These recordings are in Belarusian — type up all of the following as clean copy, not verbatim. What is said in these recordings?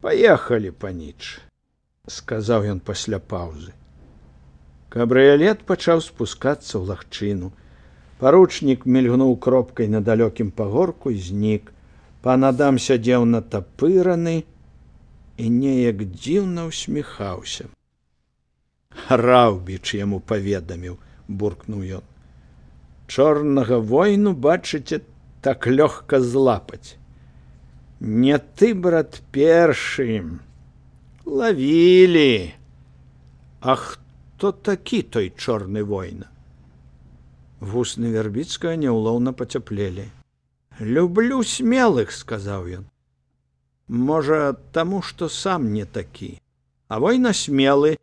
Паехалі, паніч, сказаў ён пасля паўзы. Кабрыялет пачаў спускацца ў лагчыну. Паручнік мільгнуў кропкай на далёкім пагорку і знік. Пан Адам сядзеў натапыраны і неяк дзіўна ўсміхаўся. Раўбіч яму паведаміў, буркнуў ён. Чорнага войну, бачыце, так лёгка злапаць. Не ты, брат, першы. Лавілі. А хто такі той чорны война? Вусны Вярбіцкага няўлоўна пацяплелі. Люблю смелых, сказаў ён. Можа, таму, што сам не такі. А война смелы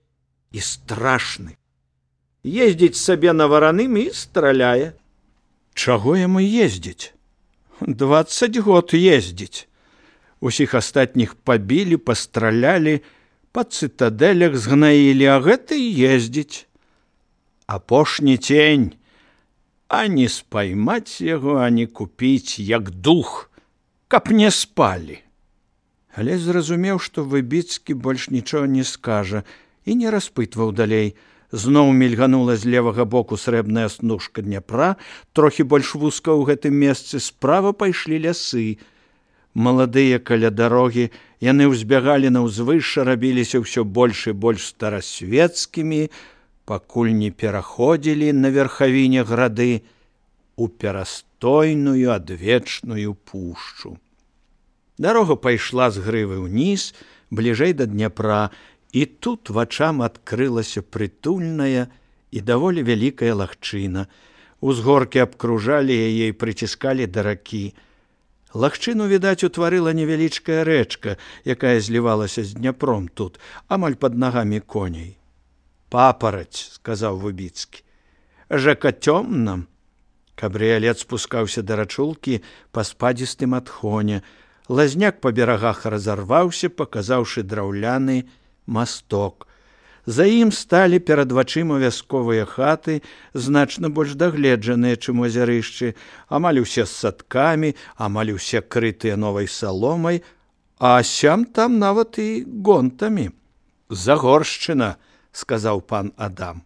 і страшны. Ездзіць сабе на вараным і страляе. Чаго яму ездзіць? 20 год ездзіць. Усіх астатніх пабілі, пастралялі, па цытадэлях згнаілі, а гэты ездзіць. Апошні цень. Ані спаймаць яго, ані купіць, як дух, каб не спалі. Але зразумеў, што Выбіцкі больш нічога не скажа, і не распытваў далей. Зноў мільганула з левага боку срэбная снужка Дняпра, трохі больш вузка ў гэтым месцы, справа пайшлі лясы. Маладыя каля дарогі, яны ўзбягалі на ўзвышша, рабіліся ўсё больш і больш старасвецкімі, пакуль не пераходзілі на верхавіне грады у перастойную адвечную пушчу. Дарога пайшла з грывы ўніз, бліжэй да Дняпра, і тут вачам адкрылася прытульная і даволі вялікая лагчына. Узгоркі абкружалі яе і прыціскалі да ракі. Лагчыну, відаць, утварыла невялічкая рэчка, якая злівалася з Дняпром тут, амаль пад нагамі коней. Папараць, сказаў Выбіцкі. Жака цёмна. Кабрыялет спускаўся да рачулкі па спадзістым адхоне. Лазняк па берагах разарваўся, паказаўшы драўляны масток. За ім сталі перад вачыма вясковыя хаты, значна больш дагледжаныя, чым у азярышчы, амаль усе з садкамі, амаль усе крытыя новай саломай, а сям там нават і гонтамі. Загоршчына, сказаў пан Адам.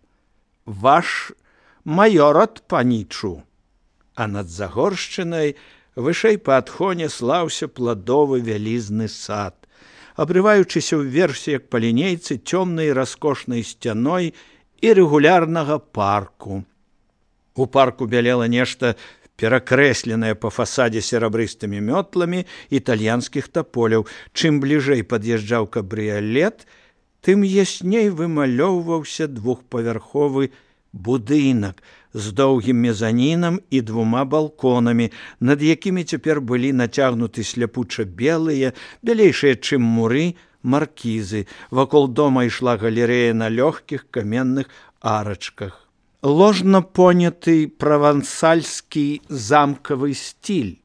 Ваш маёрат, панічу. А над Загоршчынай вышэй па адхоне слаўся пладовы вялізны сад, абрываючыся ўверсе, як па лінейцы, цёмнай раскошнай сцяной і рэгулярнага парку. У парку бялела нешта перакрэсленае па фасадзе серабрыстымі мётламі італьянскіх таполяў. Чым бліжэй пад'язджаў кабрыялет, тым ясней вымалёўваўся двухпавярховы будынак з доўгім мезанінам і 2 балконамі, над якімі цяпер былі нацягнуты сляпуча белыя, бялейшыя, чым муры, маркізы. Вакол дома ішла галерэя на лёгкіх каменных арачках. Ложна поняты правансальскі замкавы стіль,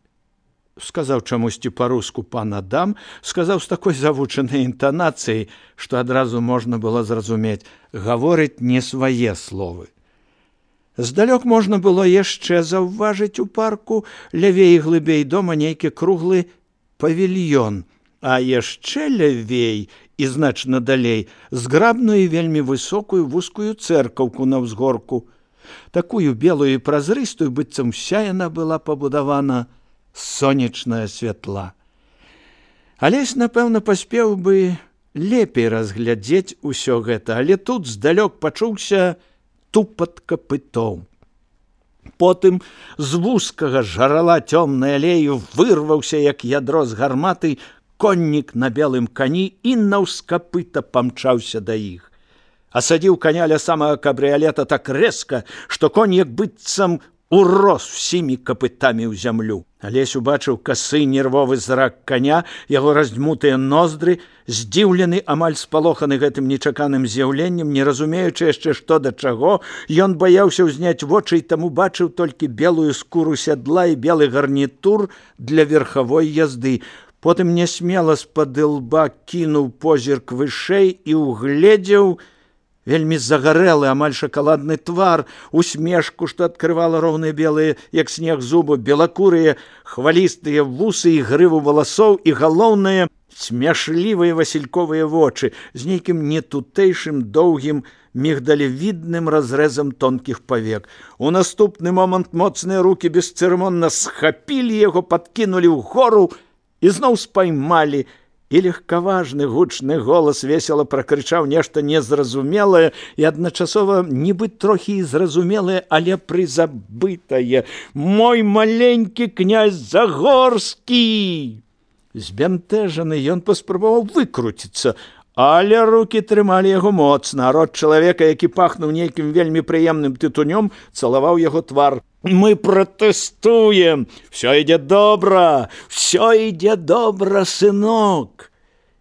сказаў чамусьці па-руску пан Адам, сказаў з такой завучанай інтанацыяй, што адразу можна было зразумець, гаворыць не свае словы. Здалёк можна было яшчэ заўважыць у парку лявей і глыбей дома нейкі круглы павільён, а яшчэ лявей і значна далей зграбную і вельмі высокую вузкую цэркаўку на ўзгорку. Такую белую і празрыстую, быццам уся яна была пабудавана з сонечнага святла. Алесь, напэўна, паспеў бы лепей разглядзець усё гэта, але тут здалёк пачуўся тупат капытоў. Потым з вузкага жарала цёмнай алею вырваўся, як ядро з гарматы, коннік на белым кані і наўскапыта памчаўся да іх. Асадзіў каня ля самага кабрыялета так рэзка, што конь як быццам урос всімі капытамі ў зямлю. Алесь убачыў касы нервовы зрак каня, яго раздзьмутыя ноздры, здзіўлены, амаль спалоханы гэтым нечаканым з'яўленнем, не разумеючы яшчэ што да чаго, ён баяўся ўзняць вочы і таму бачыў толькі белую скуру сядла і белы гарнітур для верхавой язды. Потым нясмела з-пад ілба кінуў позірк вышэй і угледзеў Вельмі загарэлы, амаль шакаладны твар, усмешку, што адкрывала роўныя белыя, як снег, зубы, белакурыя, хвалістыя вусы і грыву валасоў, і галоўнае, смяшлівыя васільковыя вочы з нейкім нетутэйшым доўгім мігдалевідным разрэзам тонкіх павек. У наступны момант моцныя рукі бесцырымонна схапілі яго, падкінулі ўгору і зноў спаймалі, і легкаважны гучны голас весела пракрычаў нешта незразумелае і адначасова нібы трохі і зразумелае, але прызабытае: «Мой маленькі князь Загорскі!» Збянтэжаны ён паспрабаваў выкруціцца, але рукі трымалі яго моцна, а рот чалавека, які пахнуў нейкім вельмі прыемным тытунём, цалаваў яго твар. «Мы пратэстуем! Всё ідзе добра! Всё ідзе добра, сынок!»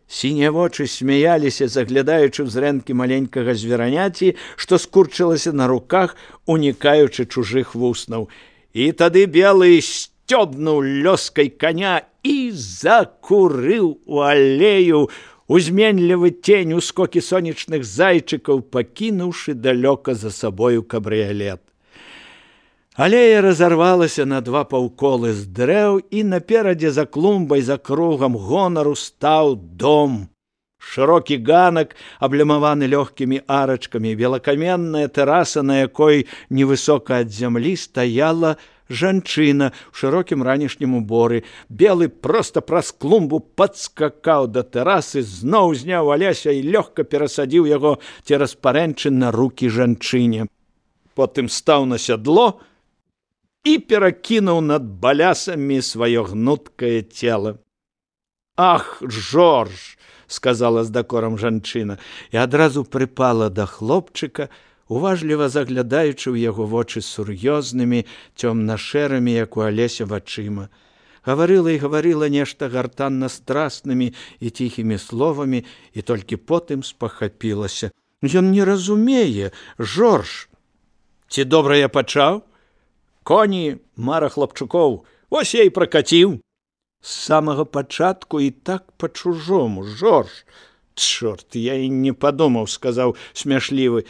Сінія вочы смяяліся, заглядаючы ў зрэнкі маленькага звераняці, што скурчылася на руках, унікаючы чужых вуснаў. І тады белы сцёбнуў лёскай коня і закурыў у алею, узменлівы тень ускокі сонечных зайчыкаў, пакінуўшы далёка за сабою кабрыялет. Алея разарвалася на два паўколы з дрэў, і наперадзе за клумбай, за кругам гонару стаў дом. Шырокі ганак, аблямаваны лёгкімі арачкамі, белакаменная тэраса, на якой невысока ад зямлі стаяла жанчына ў шырокім ранішнім уборы. Белы проста праз клумбу падскакаў да тэрасы, зноў зняў Аляся і лёгка перасадзіў яго цераз парэнчы на рукі жанчыне. Потым стаў на сядло і перакінуў над балясамі сваё гнуткае цела. «Ах, Жорж!» – сказала з дакорам жанчына, і адразу прыпала да хлопчыка, уважліва заглядаючы ў яго вочы сур'ёзнымі, цёмна-шэрымі, як у Алеся, вачыма. Гаварыла і гаварыла нешта гартанна-страснымі і ціхімі словамі, і толькі потым спахапілася. «Ён не разумее, Жорж! Ці добра я пачаў? Коні, мара хлапчукоў, вось я і пракаціў. З самага пачатку і так па-чужому, Жорж!» «Чорт, я і не падумаў», – сказаў смяшлівы,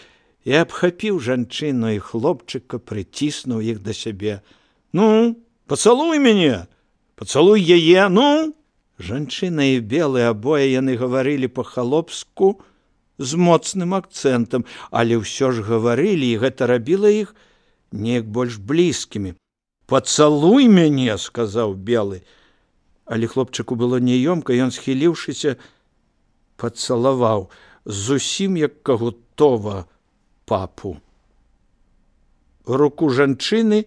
і абхапіў жанчыну і хлопчыка, прыціснуў іх да сябе. «Ну, пацалуй мяне, пацалуй яе, ну!» Жанчына і белы, абое яны гаварылі па-халопску з моцным акцэнтам, але ўсё ж гаварылі, і гэта рабіла іх неяк больш блізкімі. «Пацалуй мяне», – сказаў белы. Але хлопчыку было няёмка, ён, схіліўшыся, пацалаваў зусім як кагутова папу. Руку жанчыны,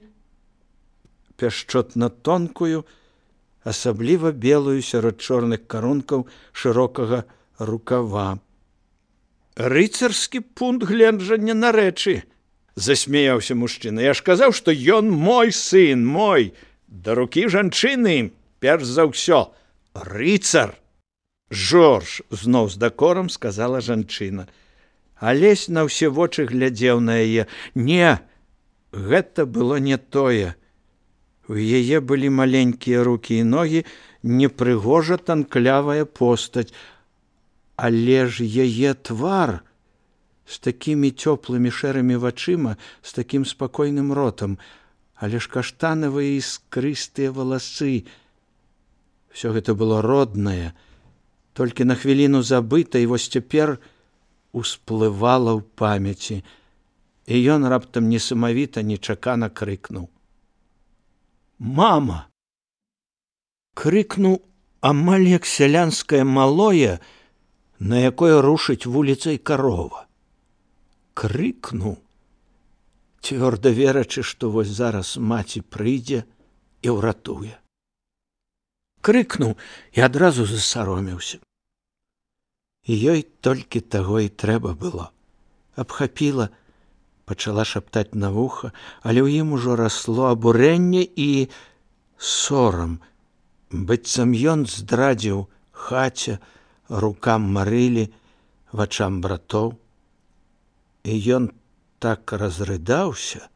пяшчотна тонкую, асабліва белую сярод чорных карункаў шырокага рукава. «Рыцарскі пункт гледжання на рэчы», – засмяяўся мужчына. «Я ж казаў, што ён мой сын, мой. Да рукі жанчыны, перш за ўсё, рыцар!» «Жорж!» – зноў з дакорам сказала жанчына. Алесь на ўсе вочы глядзеў на яе. Не, гэта было не тое. У яе былі маленькія рукі і ногі, непрыгожа танклявая постаць. Але ж яе твар з такімі цёплымі шэрымі вачыма, з такім спакойным ротам, але ж каштанавыя іскрыстыя валасы. Всё гэта было роднае, толькі на хвіліну забыта, і вось цяпер усплывала ў памяці, і ён раптам несамавіта, нечакана крыкнуў: «Мама!» Крыкнуў амаль як сялянскае малое, на якое рушыць вуліцай карова. Крыкнуў, цвёрда верачы, што вось зараз маці прыйдзе і ўратуе. Крыкнуў і адразу засаромеўся. І ёй толькі таго і трэба было. Абхапіла, пачала шаптаць на вуха, але ў ім ужо расло абурэнне і сорам, быццам ён здрадзіў хаце, рукам Марылі, вачам братоў. І ён так разрыдаўся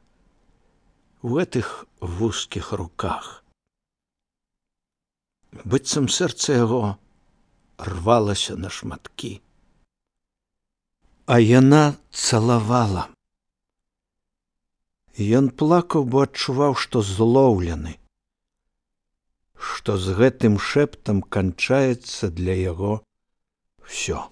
у гэтых вузкіх руках. Быццам сэрца яго рвалася на шматкі. А яна цалавала. Ён плакаў, бо адчуваў, што злоўлены, што з гэтым шэптам канчаецца для яго ўсё.